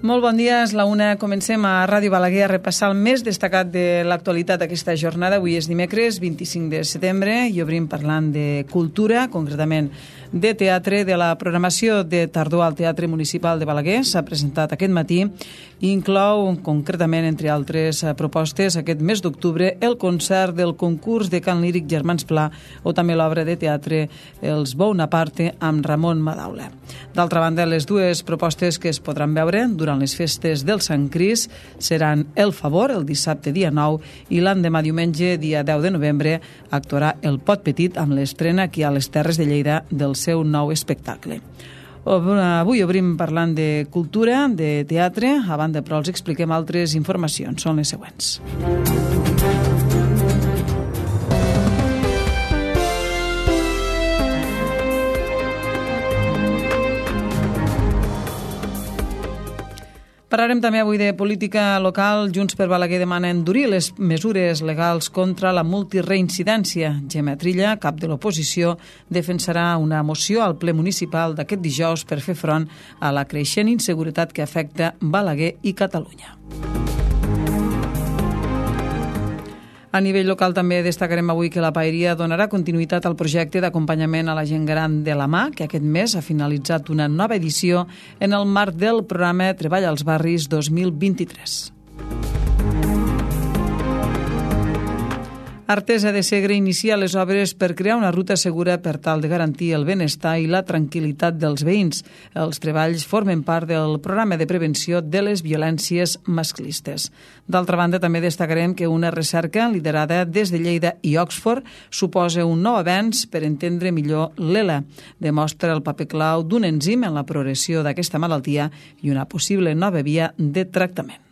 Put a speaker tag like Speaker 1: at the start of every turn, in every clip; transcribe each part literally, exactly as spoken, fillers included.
Speaker 1: Molt bon dia, és la una. Comencem a Ràdio Balaguer a repassar el més destacat de l'actualitat d'aquesta jornada. Avui és dimecres, vint-i-cinc de setembre, i obrim parlant de cultura, concretament de teatre, de la programació de tardor al Teatre Municipal de Balaguer. S'ha presentat aquest matí i inclou, concretament, entre altres propostes, aquest mes d'octubre, el concert del concurs de cant líric Germans Pla o també l'obra de teatre Els Bonaparte amb Ramon Madaula. D'altra banda, les dues propostes que es podran veure durant les festes del Sant Crist seran El Favor, el dissabte dia nou, i l'endemà diumenge, dia deu de novembre, actuarà El Pot Petit amb l'estrena aquí a les Terres de Lleida del seu nou espectacle. Avui obrim parlant de cultura, de teatre. A banda, però, els expliquem altres informacions. Són les següents. Parlarem també avui de política local. Junts per Balaguer demana endurir les mesures legals contra la multireincidència. Gemma Trilla, cap de l'oposició, defensarà una moció al ple municipal d'aquest dijous per fer front a la creixent inseguretat que afecta Balaguer i Catalunya. A nivell local també destacarem avui que la Paeria donarà continuïtat al projecte d'acompanyament a la gent gran de la mà, que aquest mes ha finalitzat una nova edició en el marc del programa Treball als Barris dos mil vint-i-tres. Artesa de Segre inicia les obres per crear una ruta segura per tal de garantir el benestar i la tranquil·litat dels veïns. Els treballs formen part del programa de prevenció de les violències masclistes. D'altra banda, també destacarem que una recerca liderada des de Lleida i Oxford suposa un nou avenç per entendre millor l'E L A. Demostra el paper clau d'un enzim en la progressió d'aquesta malaltia i una possible nova via de tractament.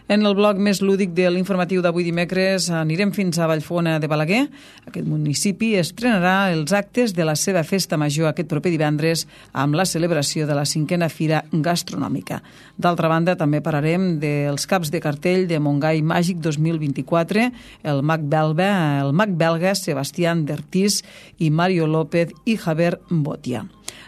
Speaker 1: En el bloc més lúdic de l'informatiu d'avui dimecres anirem fins a Vallfona de Balaguer. Aquest municipi estrenarà els actes de la seva festa major aquest proper divendres amb la celebració de la cinquena Fira Gastronòmica. D'altra banda, també parlarem dels caps de cartell de Montgai Màgic dos mil vint-i-quatre, el mag belga, el mag belga Sebastián Dertís i Mario López i Javier Botia.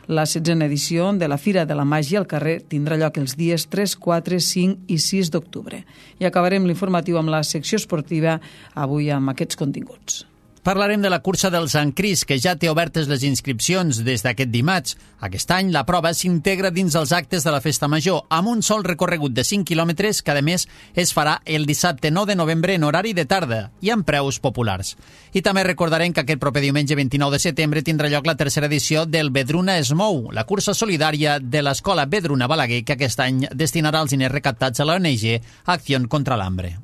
Speaker 1: La setzena edició de la Fira de la Màgia al carrer tindrà lloc els dies tres, quatre, cinc i sis d'octubre. I acabarem l'informatiu amb la secció esportiva, avui amb aquests continguts.
Speaker 2: Parlarem de la cursa del Sant Crist, que ja té obertes les inscripcions des d'aquest dimarts. Aquest any la prova s'integra dins els actes de la Festa Major, amb un sol recorregut de cinc quilòmetres que, a més, es farà el dissabte nou de novembre en horari de tarda i amb preus populars. I també recordarem que aquest proper diumenge vint-i-nou de setembre tindrà lloc la tercera edició del Vedruna es mou, la cursa solidària de l'Escola Vedruna Balaguer, que aquest any destinarà els diners recaptats a l'O N G Acción contra l'Hambre.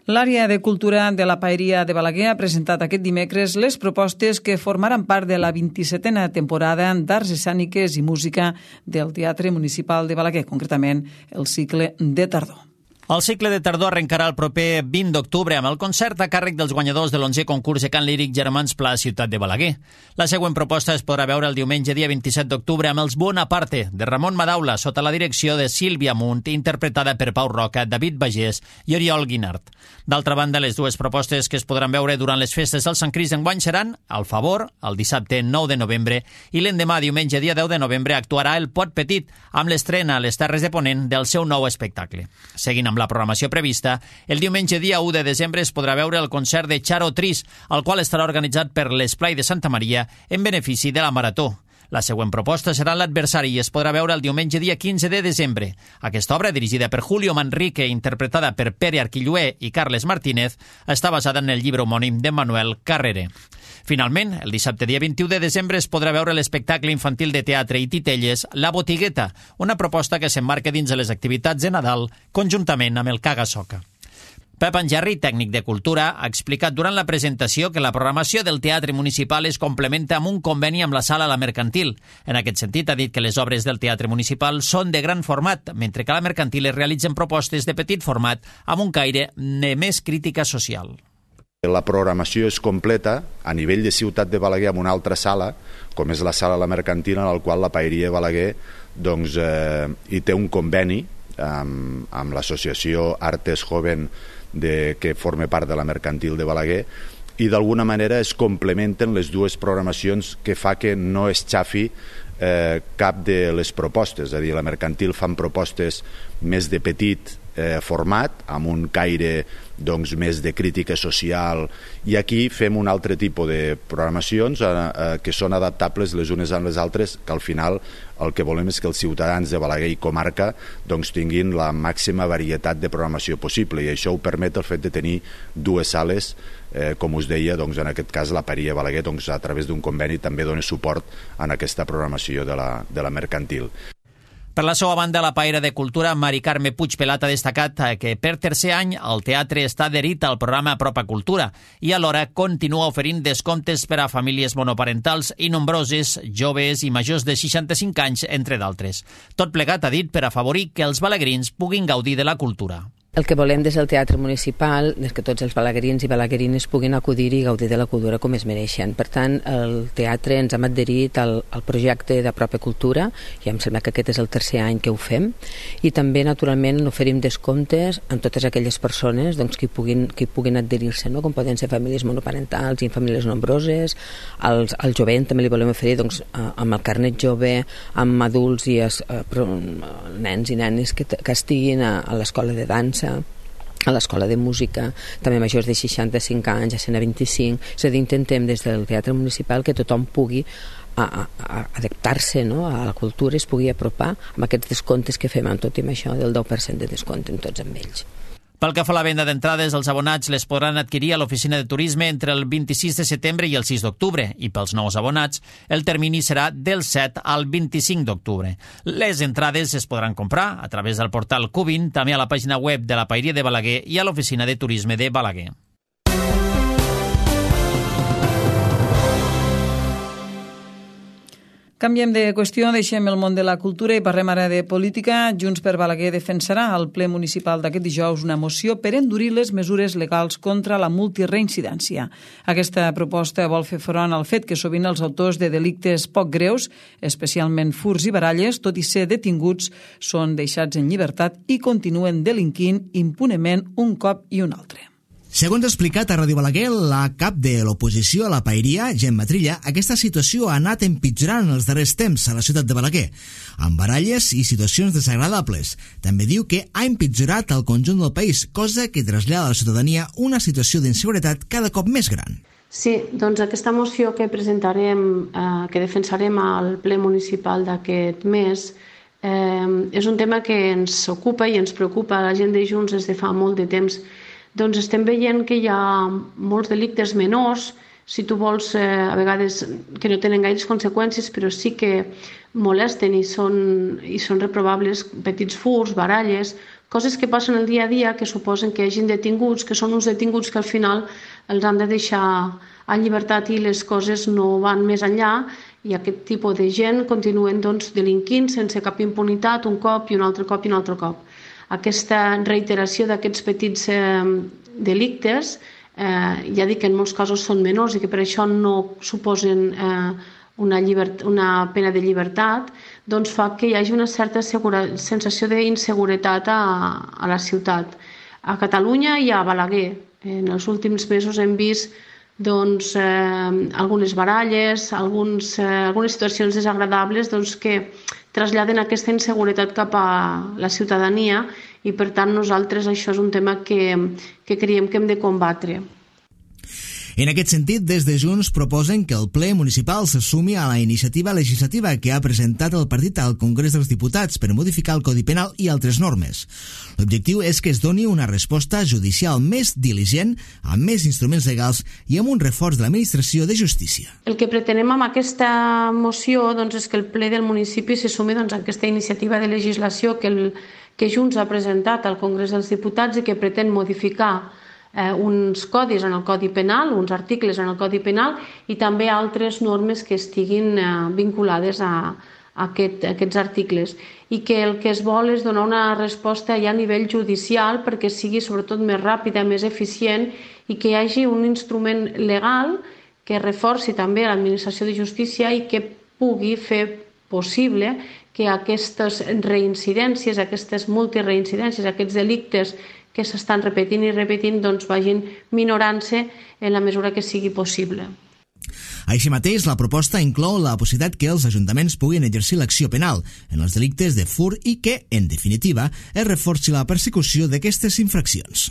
Speaker 1: L'àrea de cultura de la Paeria de Balaguer ha presentat aquest dimecres les propostes que formaran part de la vint-i-setena temporada d'Arts Escèniques i Música del Teatre Municipal de Balaguer, concretament el cicle de tardor.
Speaker 2: El cicle de tardor arrencarà el proper vint d'octubre amb el concert a càrrec dels guanyadors de l'onzè concurs de cant líric Germans Pla a Ciutat de Balaguer. La següent proposta es podrà veure el diumenge dia vint-i-set d'octubre amb els Bonaparte, de Ramon Madaula, sota la direcció de Sílvia Munt, interpretada per Pau Roca, David Bagés i Oriol Guinart. D'altra banda, les dues propostes que es podran veure durant les festes del Sant Crist enguany seran El Favor, el dissabte nou de novembre, i l'endemà, diumenge dia deu de novembre, actuarà El Pot Petit, amb l'estrena a les Terres de Ponent del seu nou espectacle. Seguint amb la programació prevista, el diumenge dia u de desembre es podrà veure el concert de Charo Tris, el qual estarà organitzat per l'Esplai de Santa Maria en benefici de la Marató. La següent proposta serà L'Adversari i es podrà veure el diumenge dia quinze de desembre. Aquesta obra, dirigida per Julio Manrique, interpretada per Pere Arquillué i Carles Martínez, està basada en el llibre homònim de Manuel Carrere. Finalment, el dissabte dia vint-i-u de desembre es podrà veure l'espectacle infantil de teatre i titelles La Botigueta, una proposta que s'emmarca dins de les activitats de Nadal conjuntament amb el Caga Soca. Pep Angerri, tècnic de Cultura, ha explicat durant la presentació que la programació del Teatre Municipal es complementa amb un conveni amb la Sala La Mercantil. En aquest sentit, ha dit que les obres del Teatre Municipal són de gran format, mentre que a la Mercantil es realitzen propostes de petit format amb un caire de més crítica social.
Speaker 3: La programació és completa a nivell de Ciutat de Balaguer amb una altra sala, com és la Sala La Mercantil, en la qual la Paeria de Balaguer doncs, eh, hi té un conveni amb, amb l'associació Artes Joven de, que forma part de la Mercantil de Balaguer, i d'alguna manera es complementen les dues programacions, que fa que no es xafi eh, cap de les propostes. És a dir, la Mercantil fan propostes més de petit eh, format, amb un caire doncs, més de crítica social, i aquí fem un altre tipus de programacions eh, eh, que són adaptables les unes a les altres, que al final el que volem és que els ciutadans de Balaguer i comarca doncs, tinguin la màxima varietat de programació possible, i això ho permet el fet de tenir dues sales. Eh, com us deia, doncs, en aquest cas la Paeria Balaguer, doncs, a través d'un conveni també dona suport en aquesta programació de la, de la Mercantil.
Speaker 2: Per la seva banda, la paella de Cultura, Mari Carme Puig Pelat, ha destacat que per tercer any el teatre està adherit al programa Apropa Cultura i alhora continua oferint descomptes per a famílies monoparentals i nombroses, joves i majors de seixanta-cinc anys, entre d'altres. Tot plegat, ha dit, per afavorir que els balaguerins puguin gaudir de la cultura.
Speaker 4: El que volem des del Teatre Municipal és que tots els balaguerins i balaguerines puguin acudir i gaudir de la cultura com es mereixen. Per tant, el teatre ens hem adherit al, al projecte d'Apropa Cultura, i em sembla que aquest és el tercer any que ho fem, i també, naturalment, oferim descomptes a totes aquelles persones doncs, que puguin, que puguin adherir-se, no? Com poden ser famílies monoparentals i famílies nombroses. Als, al jovent també li volem oferir doncs, amb el carnet jove, amb adults i es, eh, nens i nenes que, que estiguin a, a l'escola de dansa, a l'escola de música, també majors de seixanta-cinc anys, a cent vint-i-cinc. És a dir, intentem des del Teatre Municipal que tothom pugui a, a, a adaptar-se, no?, a la cultura, es pugui apropar amb aquests descomptes que fem, amb tot i amb això del deu per cent de descompte en tots amb ells.
Speaker 2: Pel que fa a la venda d'entrades, els abonats les podran adquirir a l'oficina de turisme entre el vint-i-sis de setembre i el sis d'octubre, i pels nous abonats el termini serà del set al vint-i-cinc d'octubre. Les entrades es podran comprar a través del portal Cubin, també a la pàgina web de la Paeria de Balaguer i a l'oficina de turisme de Balaguer.
Speaker 1: Canviem de qüestió, deixem el món de la cultura i parlem ara de política. Junts per Balaguer defensarà al ple municipal d'aquest dijous una moció per endurir les mesures legals contra la multireincidència. Aquesta proposta vol fer front al fet que sovint els autors de delictes poc greus, especialment furts i baralles, tot i ser detinguts, són deixats en llibertat i continuen delinquint impunement un cop i un altre.
Speaker 5: Segons ha explicat a Ràdio Balaguer, la cap de l'oposició a la Paeria, Gemma Trilla, aquesta situació ha anat empitjorant en els darrers temps a la ciutat de Balaguer, amb baralles i situacions desagradables. També diu que ha empitjorat al conjunt del país, cosa que trasllada a la ciutadania una situació d'inseguretat cada cop més gran.
Speaker 6: Sí, doncs aquesta moció que presentarem, eh, que defensarem al ple municipal d'aquest mes, eh, és un tema que ens ocupa i ens preocupa a la gent de Junts des de fa molt de temps. Doncs estem veient que hi ha molts delictes menors, si tu vols, eh, a vegades que no tenen gaires conseqüències, però sí que molesten i són, i són reprovables, petits furts, baralles, coses que passen el dia a dia que suposen que hi hagin detinguts, que són uns detinguts que al final els han de deixar en llibertat i les coses no van més enllà, i aquest tipus de gent continuen doncs, delinquint sense cap impunitat, un cop i un altre cop i un altre cop. Aquesta reiteració d'aquests petits eh, delictes, eh, ja dic que en molts casos són menors i que per això no suposen eh, una, llibert- una pena de llibertat, doncs fa que hi hagi una certa segura- sensació d'inseguretat a, a la ciutat. A Catalunya i a Balaguer. En els últims mesos hem vist doncs, eh, algunes baralles, alguns, eh, algunes situacions desagradables doncs, que traslladen aquesta inseguretat cap a la ciutadania i, per tant, nosaltres això és un tema que, que creiem que hem de combatre.
Speaker 5: En aquest sentit, des de Junts proposen que el ple municipal se sumi a la iniciativa legislativa que ha presentat el partit al Congrés dels Diputats per modificar el Codi Penal i altres normes. L'objectiu és que es doni una resposta judicial més diligent, amb més instruments legals i amb un reforç de l'administració de justícia.
Speaker 6: El que pretenem amb aquesta moció doncs, és que el ple del municipi se sumi doncs, a aquesta iniciativa de legislació que, el, que Junts ha presentat al Congrés dels Diputats i que pretén modificar Eh, uns codis en el Codi Penal, uns articles en el Codi Penal i també altres normes que estiguin eh, vinculades a, a, aquest, a aquests articles, i que el que es vol és donar una resposta ja a nivell judicial perquè sigui sobretot més ràpida, més eficient i que hi hagi un instrument legal que reforci també l'administració de justícia i que pugui fer possible que aquestes reincidències, aquestes multireincidències, aquests delictes que s'estan repetint i repetint doncs vagin minorant-se en la mesura que sigui possible.
Speaker 5: Així mateix, la proposta inclou la possibilitat que els ajuntaments puguin exercir l'acció penal en els delictes de furt i que, en definitiva, es reforci la persecució d'aquestes infraccions.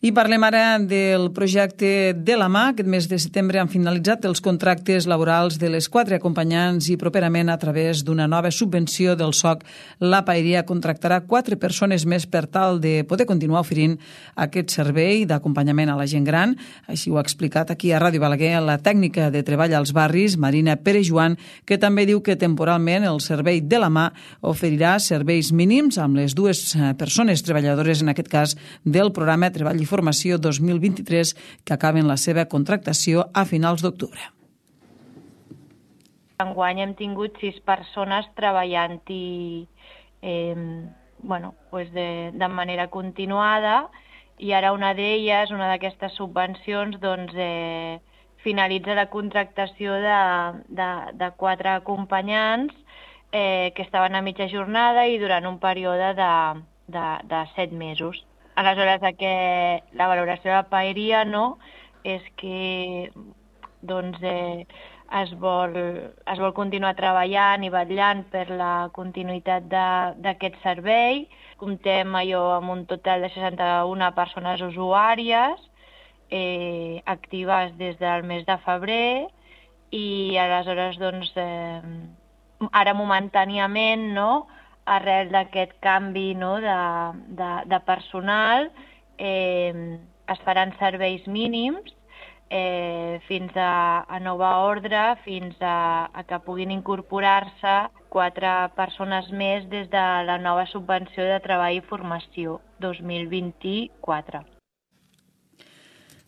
Speaker 1: I parlem ara del projecte de la mà. Aquest mes de setembre han finalitzat els contractes laborals de les quatre acompanyants i properament a través d'una nova subvenció del S O C, la Paeria contractarà quatre persones més per tal de poder continuar oferint aquest servei d'acompanyament a la gent gran. Així ho ha explicat aquí a Ràdio Balaguer la tècnica de treball als barris, Marina Pere-Joan, que també diu que temporalment el servei de la mà oferirà serveis mínims amb les dues persones treballadores, en aquest cas, del programa Treball i Formació dos mil vint-i-tres, que acaben la seva contractació a finals d'octubre.
Speaker 7: Enguany hem tingut sis persones treballant-hi eh, bueno, pues de, de manera continuada, i ara una d'elles, una d'aquestes subvencions, doncs, eh, finalitza la contractació de, de, de quatre acompanyants eh, que estaven a mitja jornada i durant un període de, de, de set mesos. Aleshores, que la valoració de la Paeria, no, és que doncs, eh, es, vol, es vol continuar treballant i vetllant per la continuïtat d'aquest servei. Comptem allò amb un total de seixanta-una persones usuàries eh, actives des del mes de febrer, i aleshores, doncs, eh, ara momentàniament, no, arrel d'aquest canvi, no, de, de, de personal, eh, es faran serveis mínims eh, fins a, a nova ordre, fins a, a que puguin incorporar-se quatre persones més des de la nova subvenció de treball i formació dos mil vint-i-quatre.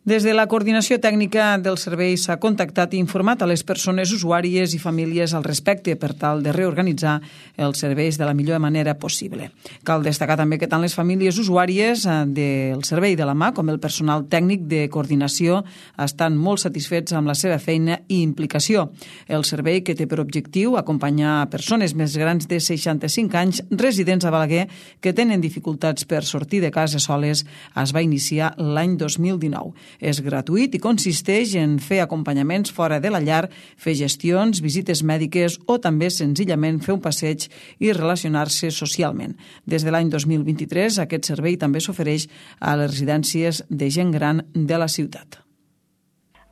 Speaker 1: Des de la Coordinació Tècnica del Servei s'ha contactat i informat a les persones usuàries i famílies al respecte per tal de reorganitzar els serveis de la millor manera possible. Cal destacar també que tant les famílies usuàries del servei de la mà com el personal tècnic de coordinació estan molt satisfets amb la seva feina i implicació. El servei, que té per objectiu acompanyar persones més grans de seixanta-cinc anys residents a Balaguer que tenen dificultats per sortir de casa soles, es va iniciar l'any dos mil dinou. És gratuït i consisteix en fer acompanyaments fora de la llar, fer gestions, visites mèdiques o també senzillament fer un passeig i relacionar-se socialment. Des de l'any dos mil vint-i-tres, aquest servei també s'ofereix a les residències de gent gran de la ciutat.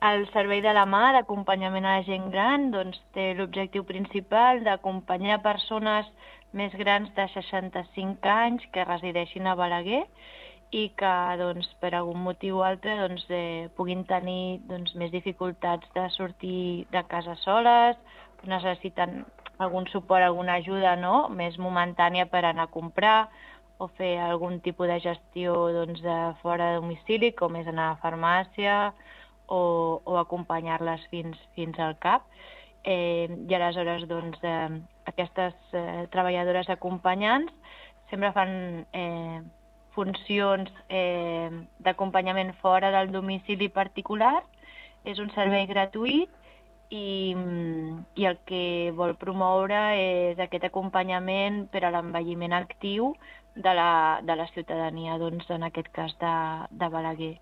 Speaker 7: El servei de la mà d'acompanyament a la gent gran doncs, té l'objectiu principal d'acompanyar persones més grans de seixanta-cinc anys que resideixin a Balaguer i que doncs, per algun motiu o altre doncs, eh, puguin tenir doncs, més dificultats de sortir de casa soles, necessiten algun suport, alguna ajuda, no?, més momentània per anar a comprar o fer algun tipus de gestió doncs, de fora de domicili, com és anar a la farmàcia o, o acompanyar-les fins, fins al cap. Eh, I aleshores doncs, eh, aquestes eh, treballadores acompanyants sempre fan eh, funcions eh, d'acompanyament fora del domicili particular. És un servei gratuït i, i el que vol promoure és aquest acompanyament per a l'envelliment actiu de la, de la ciutadania, doncs, en aquest cas de, de Balaguer.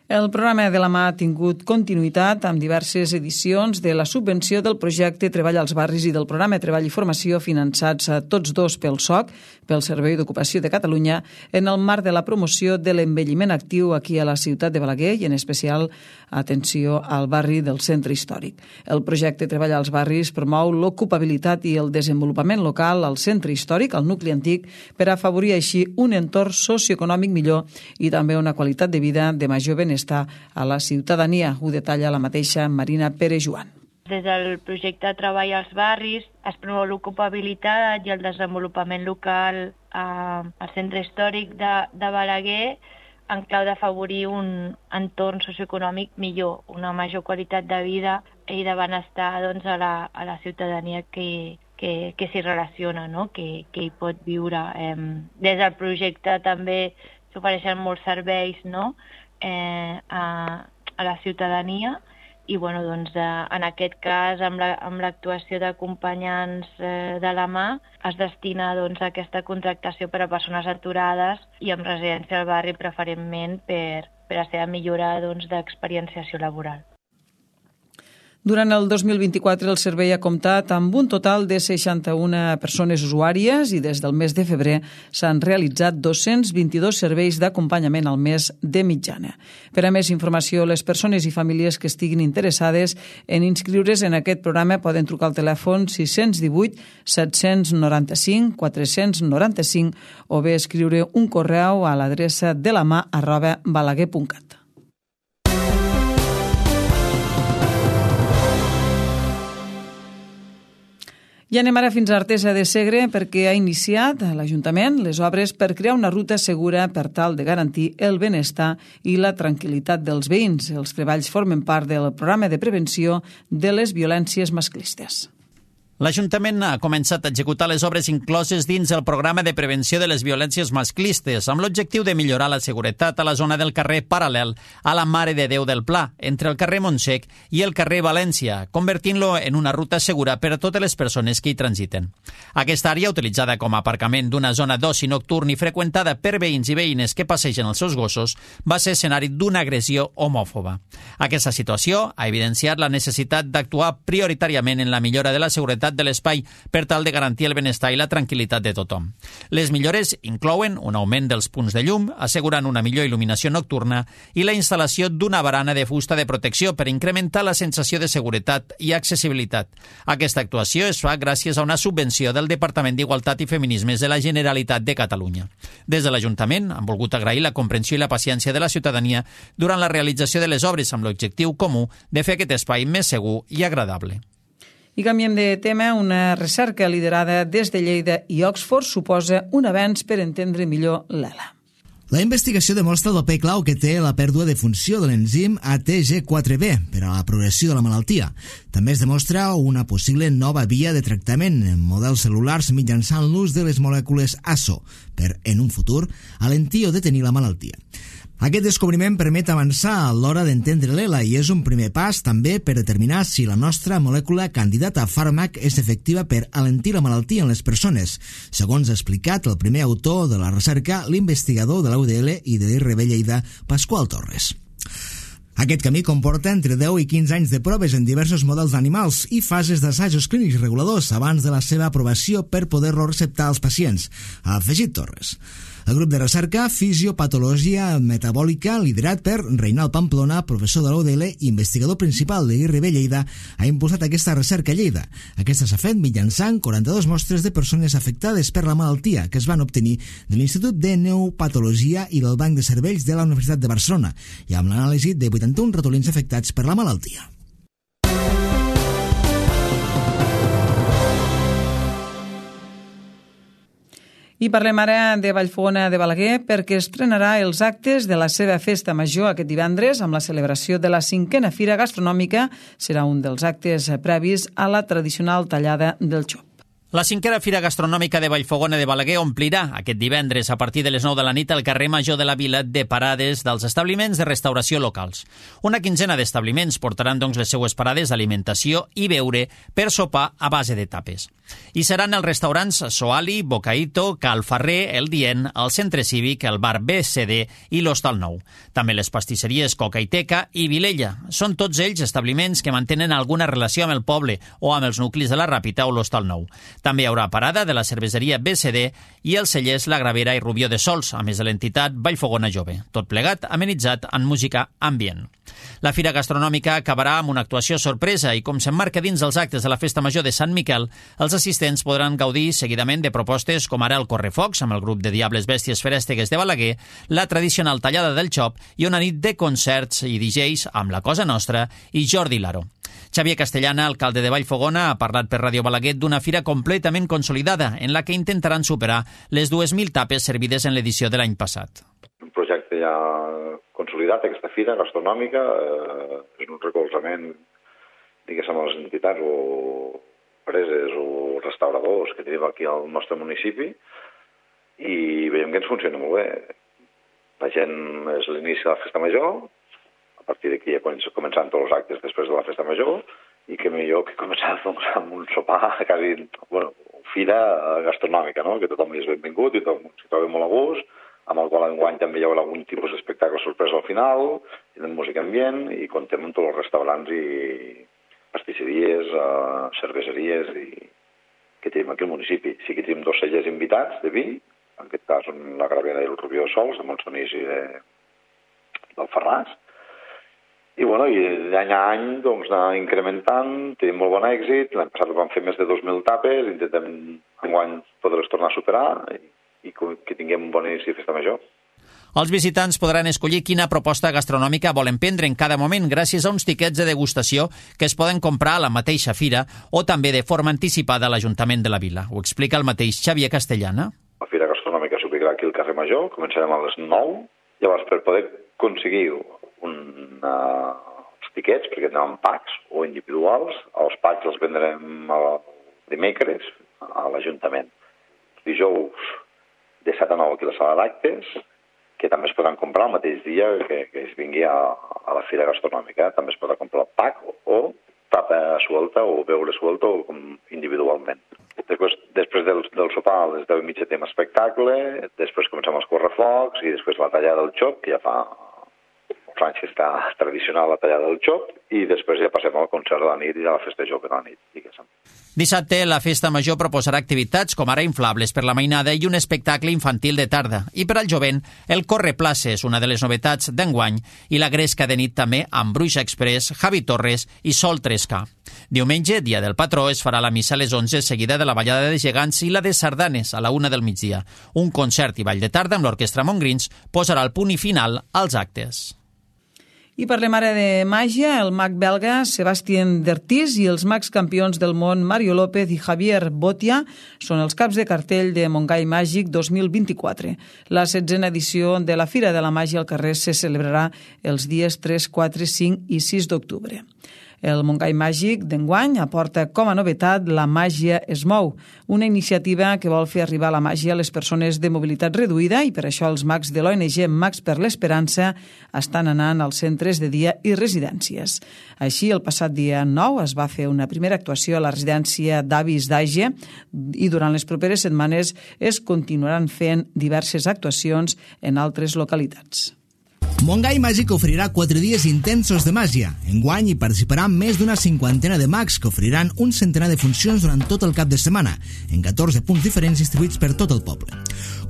Speaker 1: El programa de la mà ha tingut continuïtat amb diverses edicions de la subvenció del projecte Treball als Barris i del programa Treball i Formació finançats a tots dos pel S O C, pel Servei d'Ocupació de Catalunya, en el marc de la promoció de l'envelliment actiu aquí a la ciutat de Balaguer i en especial atenció al barri del centre històric. El projecte Treball als Barris promou l'ocupabilitat i el desenvolupament local al centre històric, al nucli antic, per afavorir així un entorn socioeconòmic millor i també una qualitat de vida de major benestar estar a la ciutadania. Ho detalla la mateixa Marina Pere-Joan.
Speaker 7: Des del projecte Treball als Barris es promou l'ocupabilitat i el desenvolupament local eh, al centre històric de, de Balaguer en clau d'afavorir un entorn socioeconòmic millor, una major qualitat de vida i de benestar doncs, a, la, a la ciutadania que, que, que s'hi relaciona, no? que, que hi pot viure. Eh, des del projecte també s'ofereixen molts serveis, no? Eh, a, a la ciutadania i bueno, doncs, eh, en aquest cas, amb la, amb l'actuació d'acompanyants eh, de la mà, es destina doncs, a aquesta contractació per a persones aturades i amb residència al barri preferentment per, per a la seva millora doncs, d'experienciació laboral.
Speaker 1: Durant el dos mil vint-i-quatre el servei ha comptat amb un total de seixanta-una persones usuàries i des del mes de febrer s'han realitzat dos-cents vint-i-dos serveis d'acompanyament al mes de mitjana. Per a més informació, les persones i famílies que estiguin interessades en inscriure's en aquest programa poden trucar al telèfon sis cents divuit set cents noranta-cinc quatre-cents noranta-cinc o bé escriure un correu a l'adreça de la mà arroba balaguer punt cat. I anem ara fins a Artesa de Segre perquè ha iniciat a l'Ajuntament les obres per crear una ruta segura per tal de garantir el benestar i la tranquil·litat dels veïns. Els treballs formen part del programa de prevenció de les violències masclistes.
Speaker 2: L'Ajuntament ha començat a executar les obres incloses dins el programa de prevenció de les violències masclistes amb l'objectiu de millorar la seguretat a la zona del carrer paral·lel a la Mare de Déu del Pla, entre el carrer Montsec i el carrer València, convertint-lo en una ruta segura per a totes les persones que hi transiten. Aquesta àrea, utilitzada com a aparcament d'una zona d'oci nocturn i freqüentada per veïns i veïnes que passegen els seus gossos, va ser escenari d'una agressió homòfoba. Aquesta situació ha evidenciat la necessitat d'actuar prioritàriament en la millora de la seguretat de l'espai per tal de garantir el benestar i la tranquil·litat de tothom. Les millores inclouen un augment dels punts de llum, assegurant una millor il·luminació nocturna i la instal·lació d'una barana de fusta de protecció per incrementar la sensació de seguretat i accessibilitat. Aquesta actuació es fa gràcies a una subvenció del Departament d'Igualtat i Feminismes de la Generalitat de Catalunya. Des de l'Ajuntament han volgut agrair la comprensió i la paciència de la ciutadania durant la realització de les obres amb l'objectiu comú de fer aquest espai més segur i agradable.
Speaker 1: I canviem de tema. Una recerca liderada des de Lleida i Oxford suposa un avenç per entendre millor l'E L A.
Speaker 5: La investigació demostra el paper clau que té la pèrdua de funció de l'enzim A T G quatre B per a la progressió de la malaltia. També es demostra una possible nova via de tractament en models cel·lulars mitjançant l'ús de les molècules A S O per, en un futur, alentir o detenir la malaltia. Aquest descobriment permet avançar a l'hora d'entendre l'E L A i és un primer pas també per determinar si la nostra molècula candidata a fàrmac és efectiva per alentir la malaltia en les persones, segons ha explicat el primer autor de la recerca, l'investigador de la U D L i de l'I R B Lleida, Pasqual Torres. Aquest camí comporta entre deu i quinze anys de proves en diversos models d'animals i fases d'assajos clínics reguladors abans de la seva aprovació per poder-lo receptar als pacients, ha afegit Torres. El grup de recerca Fisiopatologia Metabòlica, liderat per Reinald Pamplona, professor de la U D L i investigador principal de l'I R B Lleida, ha impulsat aquesta recerca a Lleida. Aquesta s'ha fet mitjançant quaranta-dues mostres de persones afectades per la malaltia que es van obtenir de l'Institut de Neopatologia i del Banc de Cervells de la Universitat de Barcelona i amb l'anàlisi de vuitanta-un ratolins afectats per la malaltia.
Speaker 1: I parlem ara de Vallfogona de Balaguer perquè estrenarà els actes de la seva festa major aquest divendres amb la celebració de la cinquena Fira Gastronòmica. Serà un dels actes previs a la tradicional tallada del xop.
Speaker 2: La cinquena Fira Gastronòmica de Vallfogona de Balaguer omplirà aquest divendres a partir de les nou de la nit al carrer Major de la Vila de parades dels establiments de restauració locals. Una quinzena d'establiments portaran doncs les seues parades d'alimentació i beure per sopar a base de tapes. I seran els restaurants Soali, Bocaito, Cal Ferrer, El Dient, el Centre Cívic, el Bar B C D i l'Hostal Nou. També les pastisseries Coca i Teca i Vilella. Són tots ells establiments que mantenen alguna relació amb el poble o amb els nuclis de la Ràpita o l'Hostal Nou. També hi haurà parada de la cerveseria B C D i els cellers La Gravera i Rubió de Sols, a més de l'entitat Vallfogona Jove. Tot plegat amenitzat en música ambient. La Fira Gastronòmica acabarà amb una actuació sorpresa i, com s'emmarca dins els actes de la Festa Major de Sant Miquel, els assistents podran gaudir seguidament de propostes com ara el Correfocs, amb el grup de Diables Bèsties Ferèstegues de Balaguer, la tradicional tallada del xop i una nit de concerts i D Js amb La Cosa Nostra i Jordi Laro. Xavier Castellana, alcalde de Vallfogona, ha parlat per Ràdio Balaguer d'una fira completament consolidada en la que intentaran superar les dues mil tapes servides en l'edició de l'any passat.
Speaker 8: Un projecte ja consolidat, aquesta fira gastronòmica, eh, és un recolzament, diguéssim, a les entitats o empreses o restauradors que tenim aquí al nostre municipi i veiem que ens funciona molt bé. La gent és l'inici de la festa major, a partir d'aquí ja començaran tots els actes després de la festa major, i que millor que començar doncs, amb un sopar, quasi, bueno, fira gastronòmica, no? Que tothom és benvingut i tothom s'hi troba molt a gust, amb el qual enguany també hi haurà algun tipus d'espectacle sorpresa al final, i de música ambient, i contem amb tots els restaurants i pastisseries, uh, cerveseries i que tenim aquí al municipi. Sí que tenim dos cellers invitats de vi, en aquest cas són la Gravera i el Rubió Sols, de Montsonís i de, del Ferràs. I, bueno, i d'any a any doncs, anar incrementant, tenim molt bon èxit. L'any passat vam fer més de dos mil tapes, intentem enguany poder-les tornar a superar i, i que tinguem un bon inici de festa major.
Speaker 2: Els visitants podran escollir quina proposta gastronòmica volen prendre en cada moment gràcies a uns tiquets de degustació que es poden comprar a la mateixa fira o també de forma anticipada a l'Ajuntament de la Vila. Ho explica el mateix Xavier Castellana.
Speaker 8: La fira gastronòmica s'ubicarà aquí al carrer Major, començarem a les nou. Llavors, per poder aconseguir un, uh, els tiquets, perquè tenen packs o individuals, els packs els vendrem el dimecres a l'Ajuntament. Dijous de set a nou aquí a la sala d'actes, que també es podran comprar el mateix dia que, que es vingui a, a la fira gastronòmica. També es podrà comprar el pack o, o tapa suelta o beure suelta o com individualment. Després, després del, del sopar, a les deu i mitja tenim espectacle, després comencem els correfocs i després la tallada del xop, que ja fa uns anys que està tradicional la tallada del xop, i després ja passem al concert de la nit i a la festa jove de la nit, diguéssim.
Speaker 2: Dissabte, la festa major proposarà activitats com ara inflables per la mainada i un espectacle infantil de tarda. I per al jovent, el Correplaces, una de les novetats d'enguany, i la gresca de nit també amb Bruixa Express, Javi Torres i Sol tres K. Diumenge, dia del patró, es farà la missa a les onze, seguida de la ballada de gegants i la de sardanes a la una del migdia. Un concert i ball de tarda amb l'Orquestra Montgrins posarà el punt i final als actes.
Speaker 1: I parlem ara de màgia. El mag belga Sebastien Dertis i els mags campions del món Mario López i Javier Botia són els caps de cartell de Montgai Màgic dos mil vint-i-quatre. La setzena edició de la Fira de la Màgia al carrer se celebrarà els dies tres, quatre, cinc i sis d'octubre. El Montgai Màgic d'enguany aporta com a novetat La Màgia es mou, una iniciativa que vol fer arribar la màgia a les persones de mobilitat reduïda, i per això els mags de l'O N G Mags per l'Esperança estan anant als centres de dia i residències. Així, el passat dia nou es va fer una primera actuació a la residència d'Avis d'Age i durant les properes setmanes es continuaran fent diverses actuacions en altres localitats.
Speaker 5: Montgai Màgic oferirà quatre dies intensos de màgia. Enguany hi participaran més d'una cinquantena de mags que oferiran un centenar de funcions durant tot el cap de setmana, en catorze punts diferents distribuïts per tot el poble.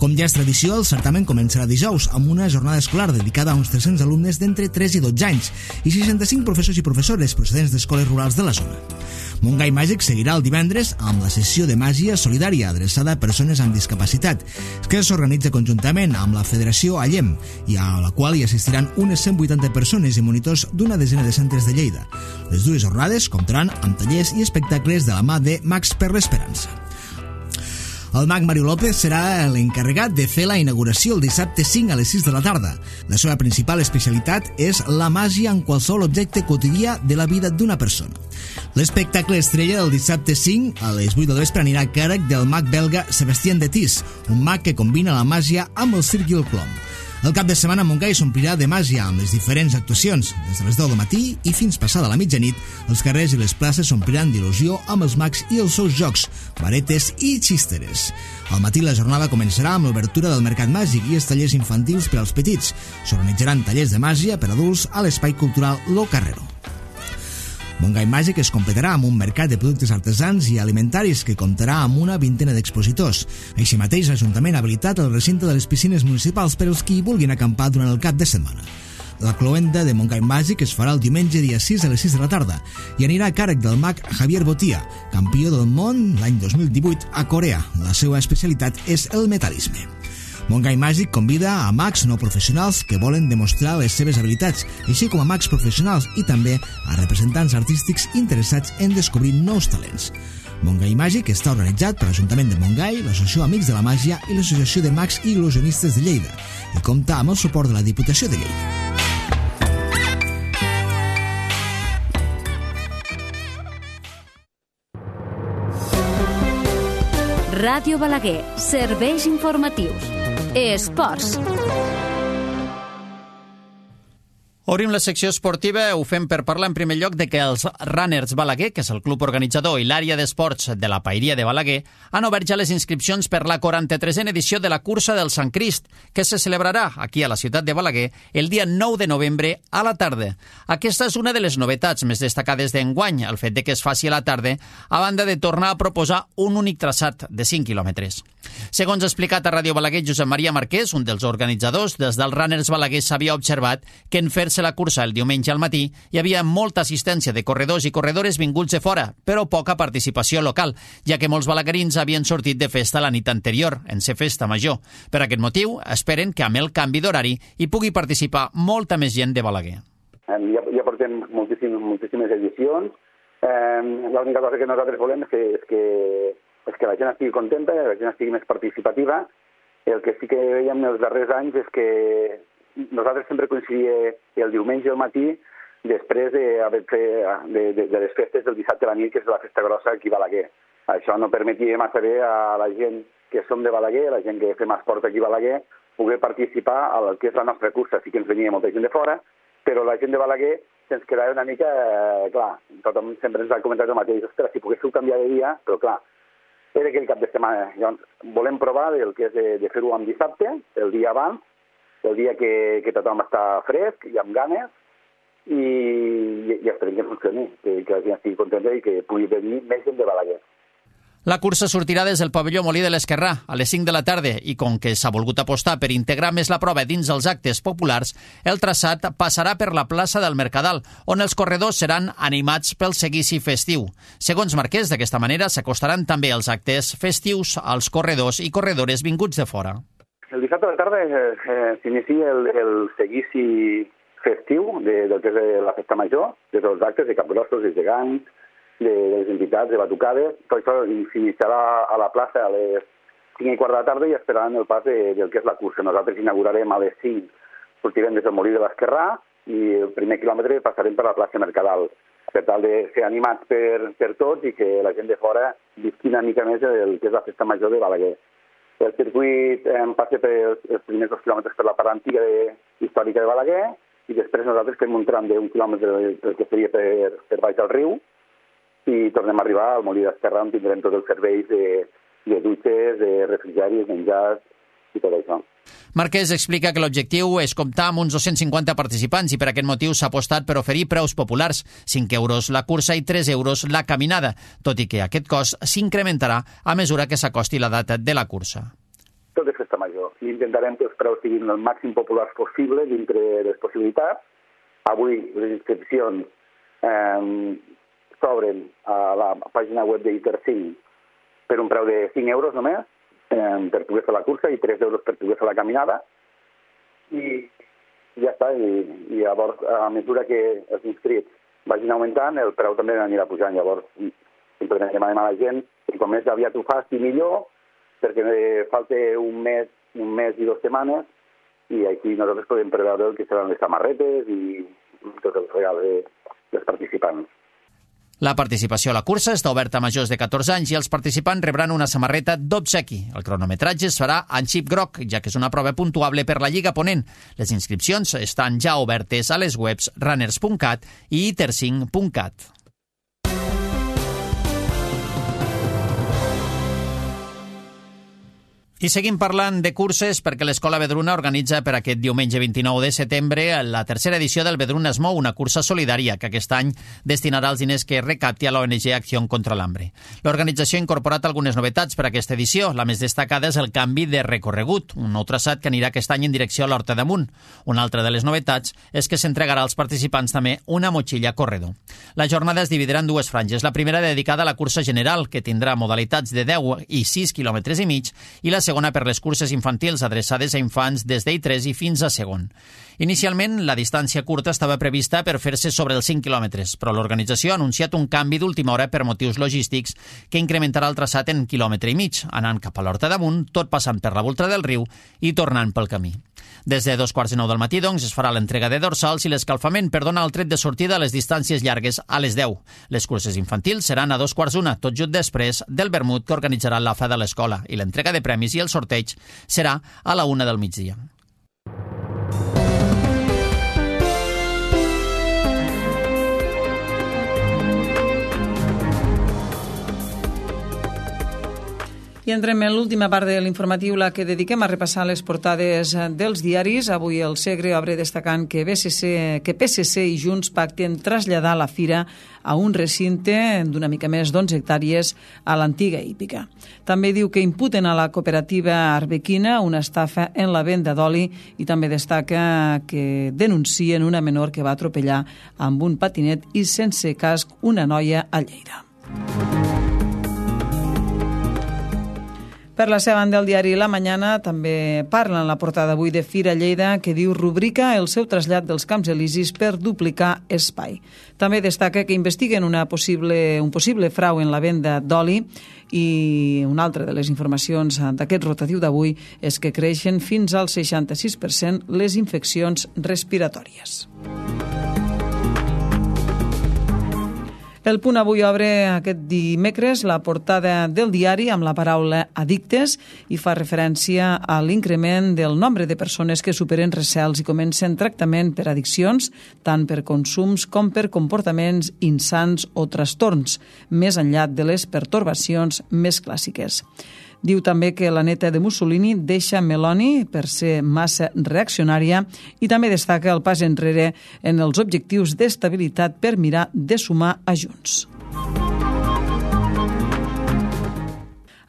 Speaker 5: Com ja és tradició, el certamen començarà dijous amb una jornada escolar dedicada a uns tres-cents alumnes d'entre tres i dotze anys i seixanta-cinc professors i professores procedents d'escoles rurals de la zona. Montgai Màgic seguirà el divendres amb la sessió de màgia solidària adreçada a persones amb discapacitat, que s'organitza conjuntament amb la Federació Allem i a la qual hi assistiran unes cent vuitanta persones i monitors d'una desena de centres de Lleida. Les dues jornades comptaran amb tallers i espectacles de la mà de Mags per l'Esperança. El mag Mario López serà l'encarregat de fer la inauguració el dissabte cinc a les sis de la tarda. La seva principal especialitat és la màgia en qualsevol objecte quotidià de la vida d'una persona. L'espectacle estrella del dissabte cinc a les vuit del vespre anirà a càrrec del mag belga Sebastien Dertis, un mag que combina la màgia amb el circ i el clom. El cap de setmana Montgai s'omplirà de màgia amb les diferents actuacions. Des de les deu del matí i fins passada la mitjanit, els carrers i les places s'ompliran d'il·lusió amb els mags i els seus jocs, varetes i xisteres. Al matí la jornada començarà amb l'obertura del Mercat Màgic i els tallers infantils per als petits. S'organitzaran tallers de màgia per adults a l'Espai Cultural Lo Carrero. Montgai Màgic es completarà amb un mercat de productes artesans i alimentaris que comptarà amb una vintena d'expositors. Així mateix, l'Ajuntament ha habilitat el recinte de les piscines municipals per als qui vulguin acampar durant el cap de setmana. La cloenda de Montgai Màgic es farà el diumenge dia sis a les sis de la tarda i anirà a càrrec del mag Javier Botia, campió del món l'any dos mil divuit a Corea. La seva especialitat és el metalisme. Montgai Màgic convida a mags no professionals que volen demostrar les seves habilitats, així com a mags professionals i també a representants artístics interessats en descobrir nous talents. Montgai Màgic està organitzat per l'Ajuntament de Montgai, l'Associació Amics de la Màgia i l'Associació de Mags i Il·lusionistes de Lleida i compta amb el suport de la Diputació de Lleida.
Speaker 9: Ràdio Balaguer, serveis informatius. Esports.
Speaker 2: Obrim la secció esportiva, ho fem per parlar en primer lloc de que els Runners Balaguer, que és el club organitzador i l'àrea d'esports de la Paeria de Balaguer, han obert ja les inscripcions per la quaranta-tresena edició de la cursa del Sant Crist, que se celebrarà aquí a la ciutat de Balaguer el dia nou de novembre a la tarda. Aquesta és una de les novetats més destacades d'enguany, el fet de que es faci a la tarda, a banda de tornar a proposar un únic traçat de cinc quilòmetres. Segons ha explicat a Ràdio Balaguer Josep Maria Marquès, un dels organitzadors, des del Runners Balaguer s'havia observat que en fer-se la cursa el diumenge al matí hi havia molta assistència de corredors i corredores vinguts de fora, però poca participació local, ja que molts balaguerins havien sortit de festa la nit anterior, en ser festa major. Per aquest motiu, esperen que amb el canvi d'horari hi pugui participar molta més gent de Balaguer.
Speaker 10: Ja, ja portem moltíssimes, moltíssimes edicions. Eh, L'única cosa que nosaltres volem és que, és que és que la gent estigui contenta, que la gent estigui més participativa. El que sí que veiem els darrers anys és que nosaltres sempre coincidia el diumenge al matí després de, de, de, de les festes del dissabte a la nit, que és la festa grossa aquí a Balaguer. Això no permetia massa bé a la gent que som de Balaguer, la gent que fem esport aquí a Balaguer, poder participar al que és la nostra cursa. Sí que ens venia molta gent de fora, però la gent de Balaguer se'ns quedava una mica, eh, clar, tothom sempre ens ha comentat el mateix, ostres, si poguéssiu canviar de dia, però clar, era aquell cap de setmana. Llavors, volem provar el que és de, de fer-ho amb dissabte, el dia abans, el dia que, que tothom està fresc i amb ganes, i, i, i esperem que funcioni, que, que la gent estigui contenta i que pugui venir més gent de Balaguer.
Speaker 2: La cursa sortirà des del pavelló Molí de l'Esquerrà a les cinc de la tarda i com que s'ha volgut apostar per integrar més la prova dins els actes populars, el traçat passarà per la plaça del Mercadal, on els corredors seran animats pel seguici festiu. Segons Marquès, d'aquesta manera s'acostaran també els actes festius als corredors i corredores vinguts de fora.
Speaker 10: El dissabte a la tarda eh, eh, s'inicia el, el seguici festiu de, del que és la festa major, de tots els actes de capgrossos, de gegants, de les entitats, de batucades. Tot això s'iniciarà a la plaça a les cinc i quart de la tarda i esperaran el pas de, del que és la cursa. Nosaltres inaugurarem a les cinc, sortirem des del Molí de l'Esquerrà i el primer quilòmetre passarem per la plaça Mercadal, per tal de ser animats per, per tots i que la gent de fora visqui una mica més el que és la festa major de Balaguer. El circuit eh, passa per els, els primers dos quilòmetres per la part antiga de, històrica de Balaguer i després nosaltres fem un tram d'un quilòmetre que seria per, per baix del riu i tornem a arribar al Molí d'Esquerrà on tindrem tots els serveis de, de dutxes, de refrigeris, menjars i tot això.
Speaker 2: Marquès explica que l'objectiu és comptar amb uns dos-cents cinquanta participants i per aquest motiu s'ha apostat per oferir preus populars, cinc euros la cursa i tres euros la caminada, tot i que aquest cost s'incrementarà a mesura que s'acosti la data de la cursa.
Speaker 10: Tot és festa major i intentarem que els preus siguin el màxim populars possible dintre les possibilitats. Avui les inscripcions eh, s'obren a la pàgina web d'Intercinc per un preu de cinc euros només eh, per poder fer la cursa i tres euros per poder fer la caminada i ja està, i, i llavors a mesura que els inscrits vagin augmentant el preu també anirà pujant. Llavors simplement demanem a la gent que com més aviat ho faci millor perquè falta un mes, un mes i dues setmanes i així nosaltres podem preveure el que seran les samarretes i tots els regals de, dels participants.
Speaker 2: La participació a la cursa està oberta a majors de catorze anys i els participants rebran una samarreta d'obsequi. El cronometratge es farà en xip groc, ja que és una prova puntuable per la Lliga Ponent. Les inscripcions estan ja obertes a les webs runners punt cat i itercinc punt cat. I seguim parlant de curses perquè l'Escola Vedruna organitza per aquest diumenge vint-i-nou de setembre la tercera edició del Vedruna es mou, una cursa solidària que aquest any destinarà els diners que recapti a l'O N G Acció contra l'Hambre. L'organització ha incorporat algunes novetats per a aquesta edició. La més destacada és el canvi de recorregut, un nou traçat que anirà aquest any en direcció a l'Horta d'Amunt. Una altra de les novetats és que s'entregarà als participants també una motxilla corredor. La jornada es dividirà en dues franges. La primera dedicada a la cursa general, que tindrà modalitats de deu i sis quilòmetres i mig, i la segona per les curses infantils adreçades a infants des d'I tres i fins a segon. Inicialment, la distància curta estava prevista per fer-se sobre els cinc quilòmetres, però l'organització ha anunciat un canvi d'última hora per motius logístics que incrementarà el traçat en quilòmetre i mig, anant cap a l'Horta d'Amunt, tot passant per la volta del riu i tornant pel camí. Des de dos quarts de nou del matí, doncs, es farà l'entrega de dorsals i l'escalfament per donar el tret de sortida a les distàncies llargues a les deu. Les curses infantils seran a dos quarts d'una, tot just després del vermut que organitzarà l'A F A de l'escola, i l'entrega de premis i el sorteig serà a la una del migdia.
Speaker 1: I entrem en l'última part de l'informatiu, la que dediquem a repassar les portades dels diaris. Avui el Segre obre destacant que, B C C, que P S C i Junts pacten traslladar la fira a un recinte d'una mica més d'onze hectàrees a l'antiga hípica. També diu que imputen a la cooperativa arbequina una estafa en la venda d'oli i també destaca que denuncien una menor que va atropellar amb un patinet i sense casc una noia a Lleida. Per la seva banda, el diari La Mañana també parla en la portada avui de Fira Lleida, que diu rubrica el seu trasllat dels Camps Elisis per duplicar espai. També destaca que investiguen una possible, un possible frau en la venda d'oli i una altra de les informacions d'aquest rotatiu d'avui és que creixen fins al seixanta-sis per cent les infeccions respiratòries. El Punt avui obre aquest dimecres la portada del diari amb la paraula addictes i fa referència a l'increment del nombre de persones que superen recels i comencen tractament per addiccions, tant per consums com per comportaments insans o trastorns, més enllà de les pertorbacions més clàssiques. Diu també que la neta de Mussolini deixa Meloni per ser massa reaccionària i també destaca el pas enrere en els objectius d'estabilitat per mirar de sumar a Junts.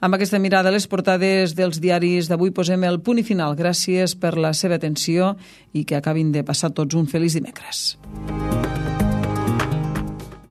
Speaker 1: Amb aquesta mirada a les portades dels diaris d'avui posem el punt i final. Gràcies per la seva atenció i que acabin de passar tots un feliç dimecres.